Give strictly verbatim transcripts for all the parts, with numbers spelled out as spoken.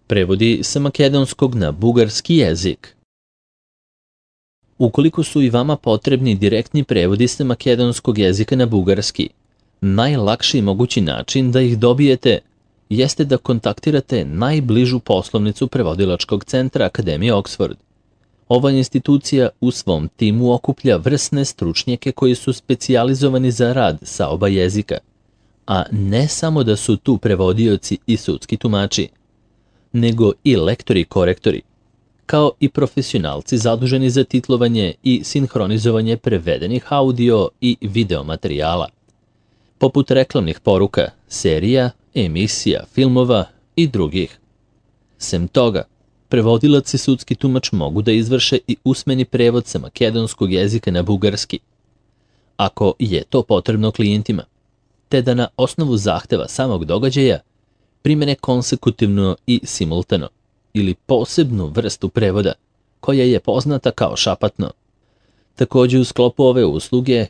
Prevodi sa makedonskog na bugarski jezik. Ukoliko su i vama potrebni direktni prevodi sa makedonskog jezika na bugarski, najlakši mogući način da ih dobijete jeste da kontaktirate najbližu poslovnicu prevodilačkog centra Akademije Oxford. Ova institucija u svom timu okuplja vrsne stručnjake koji su specijalizovani za rad sa oba jezika, a ne samo da su tu prevodioci i sudski tumači, nego i lektori i korektori, kao i profesionalci zaduženi za titlovanje i sinhronizovanje prevedenih audio i video materijala, poput reklamnih poruka, serija, emisija, filmova i drugih. Sem toga, prevodilac i sudski tumač mogu da izvrše i usmeni prevod sa makedonskog jezika na bugarski, ako je to potrebno klijentima, te da na osnovu zahteva samog događaja primene konsekutivno i simultano ili posebnu vrstu prevoda koja je poznata kao šapatno. Također u sklopu ove usluge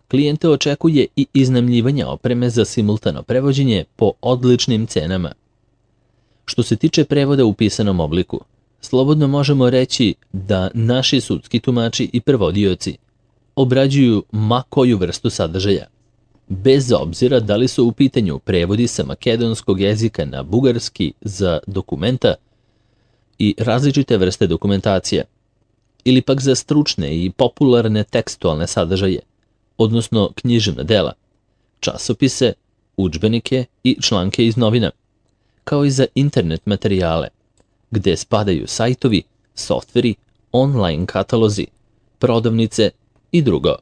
klijente očekuje i iznajmljivanje opreme za simultano prevođenje po odličnim cenama. Što se tiče prevoda u pisanom obliku, slobodno možemo reći da naši sudski tumači i prevodioci obrađuju ma koju vrstu sadržaja, bez obzira da li su u pitanju prevodi sa makedonskog jezika na bugarski za dokumenta i različite vrste dokumentacija, ili pak za stručne i popularne tekstualne sadržaje, odnosno književna dela, časopise, udžbenike i članke iz novina, kao i za internet materijale, gde spadaju sajtovi, softveri, online katalozi, prodavnice i drugo.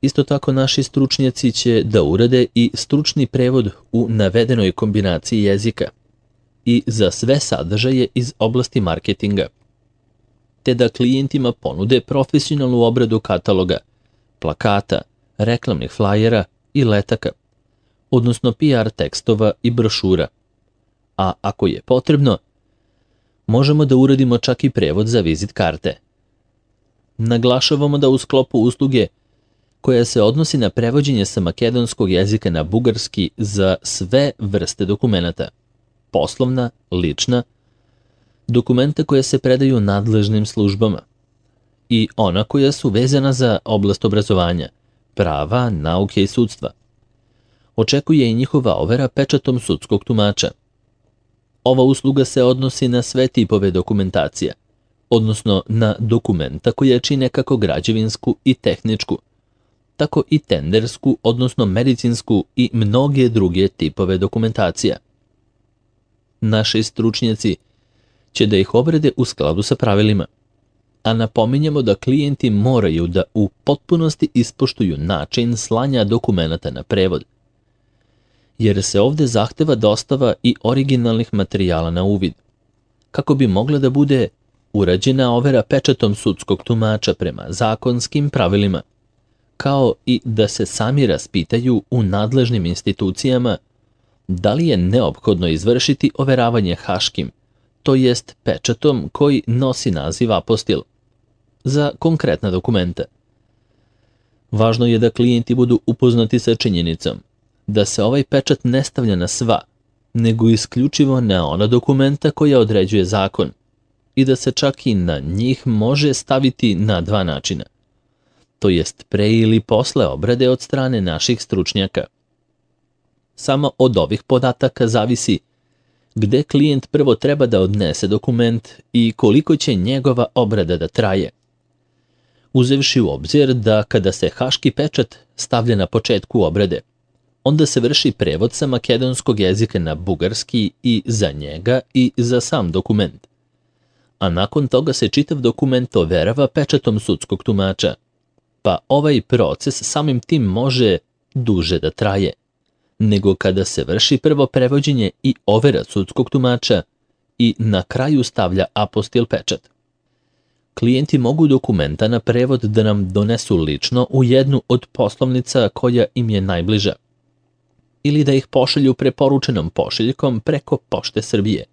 Isto tako naši stručnjaci će da urade i stručni prevod u navedenoj kombinaciji jezika i za sve sadržaje iz oblasti marketinga, te da klijentima ponude profesionalnu obradu kataloga, plakata, reklamnih flajera i letaka, odnosno P R tekstova i brošura, a ako je potrebno, možemo da uradimo čak i prevod za vizit karte. Naglašavamo da u sklopu usluge koja se odnosi na prevođenje sa makedonskog jezika na bugarski za sve vrste dokumenata, poslovna, lična, dokumenta koja se predaju nadležnim službama i ona koja su vezana za oblast obrazovanja, prava, nauke i sudstva. Očekuje i njihova overa pečatom sudskog tumača. Ova usluga se odnosi na sve tipove dokumentacija, odnosno na dokumenta koja čine kako građevinsku i tehničku, tako i tendersku, odnosno medicinsku i mnoge druge tipove dokumentacija. Naši stručnjaci će da ih obrade u skladu sa pravilima, a napominjemo da klijenti moraju da u potpunosti ispoštuju način slanja dokumenata na prevod, jer se ovde zahteva dostava i originalnih materijala na uvid, kako bi mogla da bude urađena overa pečatom sudskog tumača prema zakonskim pravilima, kao i da se sami raspitaju u nadležnim institucijama da li je neophodno izvršiti overavanje haškim, to jest pečatom koji nosi naziv apostil, za konkretna dokumenta. Važno je da klijenti budu upoznati sa činjenicom da se ovaj pečat ne stavlja na sva, nego isključivo na ona dokumenta koja određuje zakon i da se čak i na njih može staviti na dva načina, to jest pre ili posle obrade od strane naših stručnjaka. Samo od ovih podataka zavisi gde klijent prvo treba da odnese dokument i koliko će njegova obrada da traje. Uzevši u obzir da kada se haški pečat stavlja na početku obrade, onda se vrši prevod sa makedonskog jezika na bugarski i za njega i za sam dokument, a nakon toga se čitav dokument overava pečatom sudskog tumača, pa ovaj proces samim tim može duže da traje, nego kada se vrši prvo prevođenje i overa sudskog tumača i na kraju stavlja apostil pečat. Klijenti mogu dokumenta na prevod da nam donesu lično u jednu od poslovnica koja im je najbliža, ili da ih pošalju preporučenom pošiljkom preko Pošte Srbije,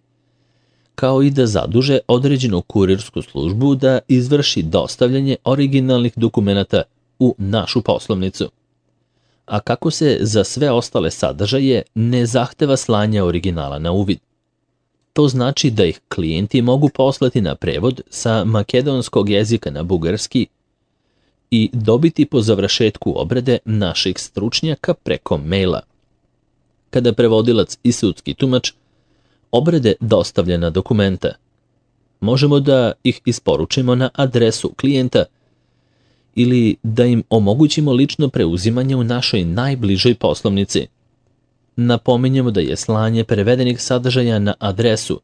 kao i da zaduže određenu kurirsku službu da izvrši dostavljanje originalnih dokumenata u našu poslovnicu. A kako se za sve ostale sadržaje ne zahteva slanje originala na uvid. To znači da ih klijenti mogu poslati na prevod sa makedonskog jezika na bugarski i dobiti po završetku obrade naših stručnjaka preko maila. Kada prevodilac i sudski tumač obrade dostavljena dokumenta, možemo da ih isporučimo na adresu klijenta ili da im omogućimo lično preuzimanje u našoj najbližoj poslovnici. Napominjemo da je slanje prevedenih sadržaja na adresu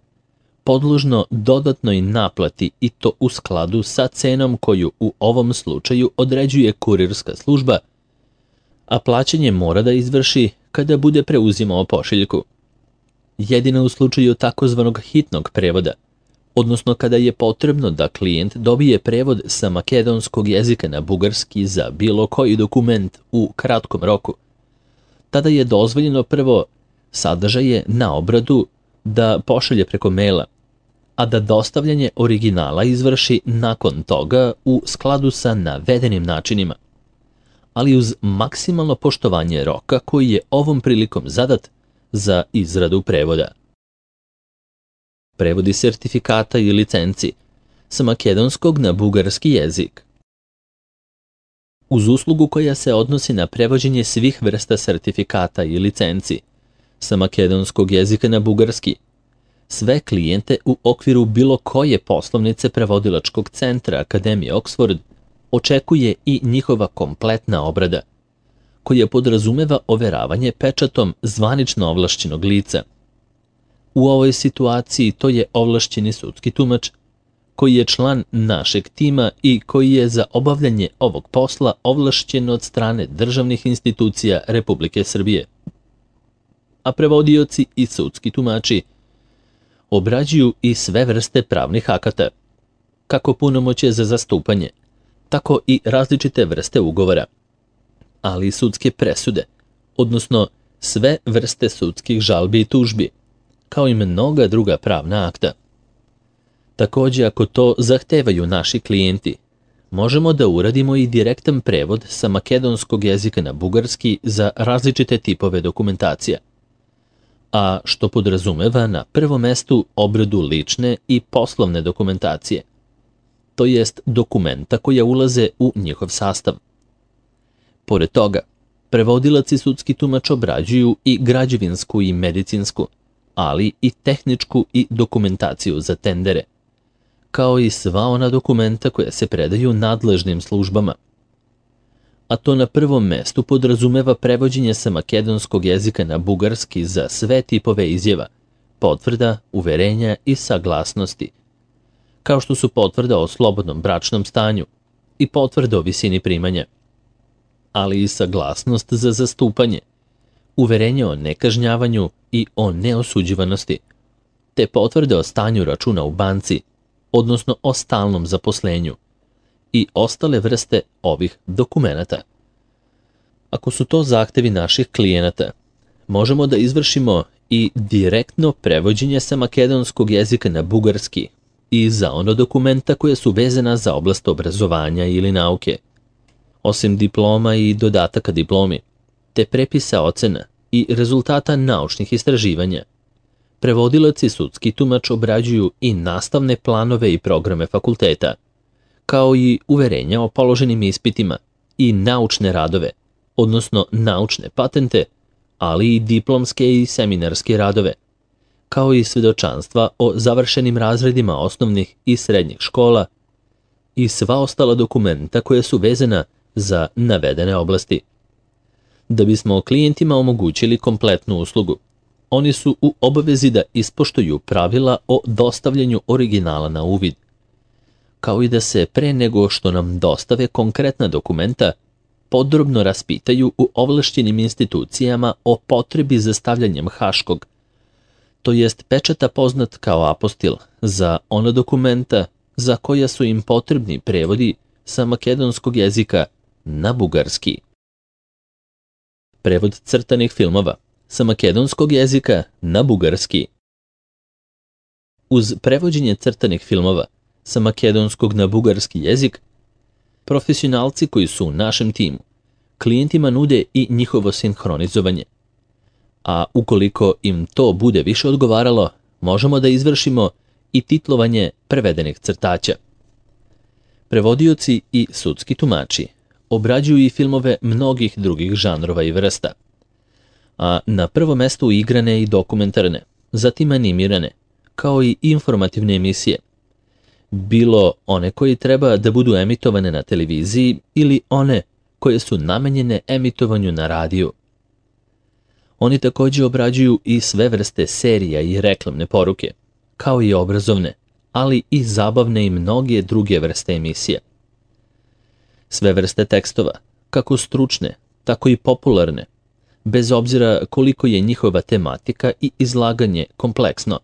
podložno dodatnoj naplati i to u skladu sa cenom koju u ovom slučaju određuje kurirska služba, a plaćanje mora da izvrši kada bude preuzimao pošiljku. Jedino u slučaju takozvanog hitnog prevoda, odnosno kada je potrebno da klijent dobije prevod sa makedonskog jezika na bugarski za bilo koji dokument u kratkom roku, tada je dozvoljeno prvo sadržaje na obradu da pošalje preko maila, a da dostavljanje originala izvrši nakon toga u skladu sa navedenim načinima, ali uz maksimalno poštovanje roka koji je ovom prilikom zadat za izradu prevoda. Prevodi sertifikata i licenci sa makedonskog na bugarski jezik. Uz uslugu koja se odnosi na prevođenje svih vrsta sertifikata i licenci sa makedonskog jezika na bugarski, sve klijente u okviru bilo koje poslovnice prevodilačkog centra Akademije Oxford očekuje i njihova kompletna obrada, koja podrazumeva overavanje pečatom zvanično ovlašćenog lica. U ovoj situaciji to je ovlašćeni sudski tumač, koji je član našeg tima i koji je za obavljanje ovog posla ovlašćen od strane državnih institucija Republike Srbije. A prevodioci i sudski tumači obrađuju i sve vrste pravnih akata, kako punomoćje za zastupanje, tako i različite vrste ugovora, ali i sudske presude, odnosno sve vrste sudskih žalbi i tužbi, kao i mnoga druga pravna akta. Takođe, ako to zahtevaju naši klijenti, možemo da uradimo i direktan prevod sa makedonskog jezika na bugarski za različite tipove dokumentacija, a što podrazumeva na prvom mestu obradu lične i poslovne dokumentacije, to jest dokumenta koja ulaze u njihov sastav. Pored toga, prevodilac i sudski tumač obrađuju i građevinsku i medicinsku, ali i tehničku i dokumentaciju za tendere, kao i sva ona dokumenta koja se predaju nadležnim službama. A to na prvom mestu podrazumeva prevođenje sa makedonskog jezika na bugarski za sve tipove izjava, potvrda, uverenja i saglasnosti, kao što su potvrda o slobodnom bračnom stanju i potvrda o visini primanja, ali i saglasnost za zastupanje, uverenje o nekažnjavanju i o neosuđivanosti, te potvrde o stanju računa u banci, odnosno o stalnom zaposlenju, i ostale vrste ovih dokumenata. Ako su to zahtevi naših klijenata, možemo da izvršimo i direktno prevođenje sa makedonskog jezika na bugarski i za ono dokumenta koje su vezana za oblast obrazovanja ili nauke, osim diploma i dodataka diplomi, te prepisa ocena i rezultata naučnih istraživanja. Prevodilac i sudski tumač obrađuju i nastavne planove i programe fakulteta, kao i uverenja o položenim ispitima i naučne radove, odnosno naučne patente, ali i diplomske i seminarske radove, kao i svedočanstva o završenim razredima osnovnih i srednjih škola i sva ostala dokumenta koja su vezana za navedene oblasti. Da bismo klijentima omogućili kompletnu uslugu, oni su u obavezi da ispoštuju pravila o dostavljanju originala na uvid, kao i da se pre nego što nam dostave konkretna dokumenta, podrobno raspitaju u ovlašćenim institucijama o potrebi za stavljanjem haškog, to jest pečata poznat kao apostil, za ona dokumenta za koja su im potrebni prevodi sa makedonskog jezika na bugarski. Prevod crtanih filmova sa makedonskog jezika na bugarski. Uz prevođenje crtanih filmova sa makedonskog na bugarski jezik, profesionalci koji su u našem timu klijentima nude i njihovo sinhronizovanje, a ukoliko im to bude više odgovaralo, možemo da izvršimo i titlovanje prevedenih crtaća. Prevodioci i sudski tumači obrađuju i filmove mnogih drugih žanrova i vrsta, a na prvo mesto igrane i dokumentarne, zatim animirane, kao i informativne emisije, bilo one koje treba da budu emitovane na televiziji ili one koje su namenjene emitovanju na radiju. Oni također obrađuju i sve vrste serija i reklamne poruke, kao i obrazovne, ali i zabavne i mnoge druge vrste emisija. Sve vrste tekstova, kako stručne, tako i popularne, bez obzira koliko je njihova tematika i izlaganje kompleksno.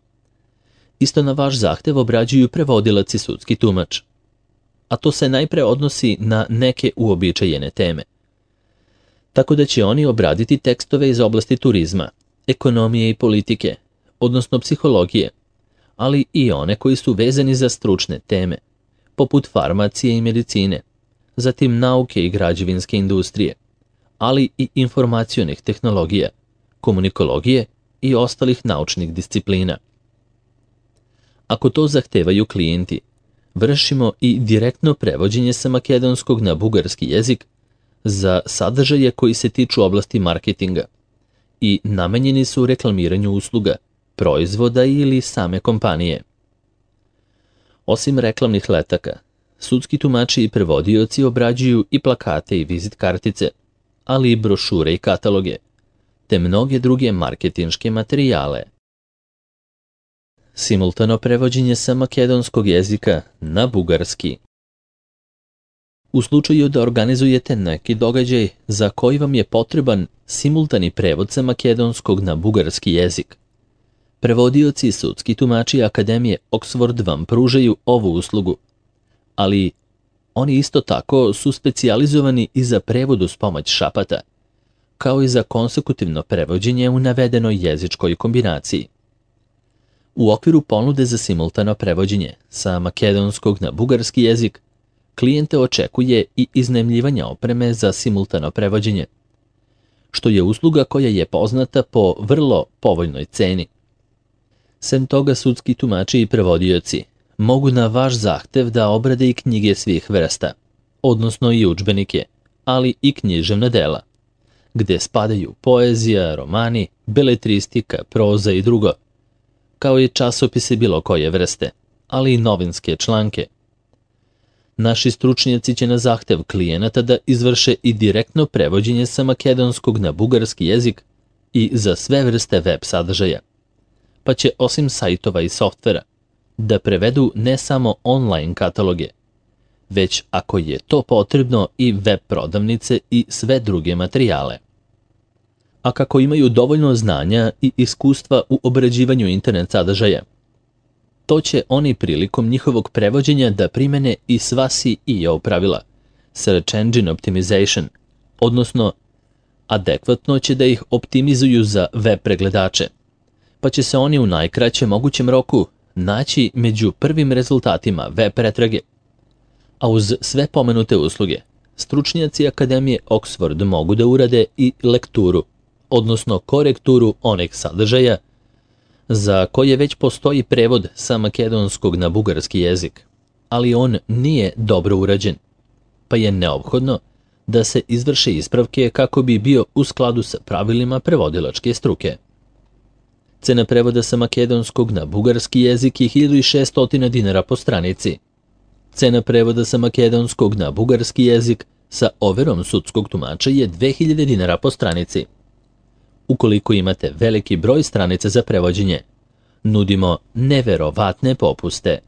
Isto na vaš zahtev obrađuju prevodilac i sudski tumač, a to se najpre odnosi na neke uobičajene teme. Tako da će oni obraditi tekstove iz oblasti turizma, ekonomije i politike, odnosno psihologije, ali i one koji su vezani za stručne teme, poput farmacije i medicine, zatim nauke i građevinske industrije, ali i informacionih tehnologija, komunikologije i ostalih naučnih disciplina. Ako to zahtevaju klijenti, vršimo i direktno prevođenje sa makedonskog na bugarski jezik za sadržaje koji se tiču oblasti marketinga i namenjeni su reklamiranju usluga, proizvoda ili same kompanije. Osim reklamnih letaka, sudski tumači i prevodioci obrađuju i plakate i vizit kartice, ali i brošure i kataloge, te mnoge druge marketinške materijale. Simultano prevođenje sa makedonskog jezika na bugarski. U slučaju da organizujete neki događaj za koji vam je potreban simultani prevod sa makedonskog na bugarski jezik, prevodioci i sudski tumači Akademije Oxford vam pružaju ovu uslugu, ali oni isto tako su specijalizovani i za prevod uz pomoć šapata, kao i za konsekutivno prevođenje u navedenoj jezičkoj kombinaciji. U okviru ponude za simultano prevođenje sa makedonskog na bugarski jezik, klijente očekuje i iznajmljivanje opreme za simultano prevođenje, što je usluga koja je poznata po vrlo povoljnoj ceni. Sem toga, sudski tumači i prevodioci mogu na vaš zahtev da obrade i knjige svih vrsta, odnosno i udžbenike, ali i književna dela, gde spadaju poezija, romani, beletristika, proza i drugo, kao i časopise bilo koje vrste, ali i novinske članke. Naši stručnjaci će na zahtev klijenata da izvrše i direktno prevođenje sa makedonskog na bugarski jezik i za sve vrste web sadržaja, pa će osim sajtova i softvera da prevedu ne samo online kataloge, već ako je to potrebno i web prodavnice i sve druge materijale. A kako imaju dovoljno znanja i iskustva u obrađivanju internet sadržaja, to će oni prilikom njihovog prevođenja da primene i sva S E O pravila, Search Engine Optimization, odnosno adekvatno će da ih optimizuju za web pregledače, pa će se oni u najkraćem mogućem roku naći među prvim rezultatima web pretrage. A uz sve pomenute usluge, stručnjaci Akademije Oxford mogu da urade i lekturu, odnosno korekturu onih sadržaja za koje već postoji prevod sa makedonskog na bugarski jezik, ali on nije dobro urađen, pa je neophodno da se izvrše ispravke kako bi bio u skladu sa pravilima prevodilačke struke. Cena prevoda sa makedonskog na bugarski jezik je hiljadu šessto dinara po stranici. Cena prevoda sa makedonskog na bugarski jezik sa overom sudskog tumača je dve hiljade dinara po stranici. Ukoliko imate veliki broj stranica za prevođenje, nudimo neverovatne popuste.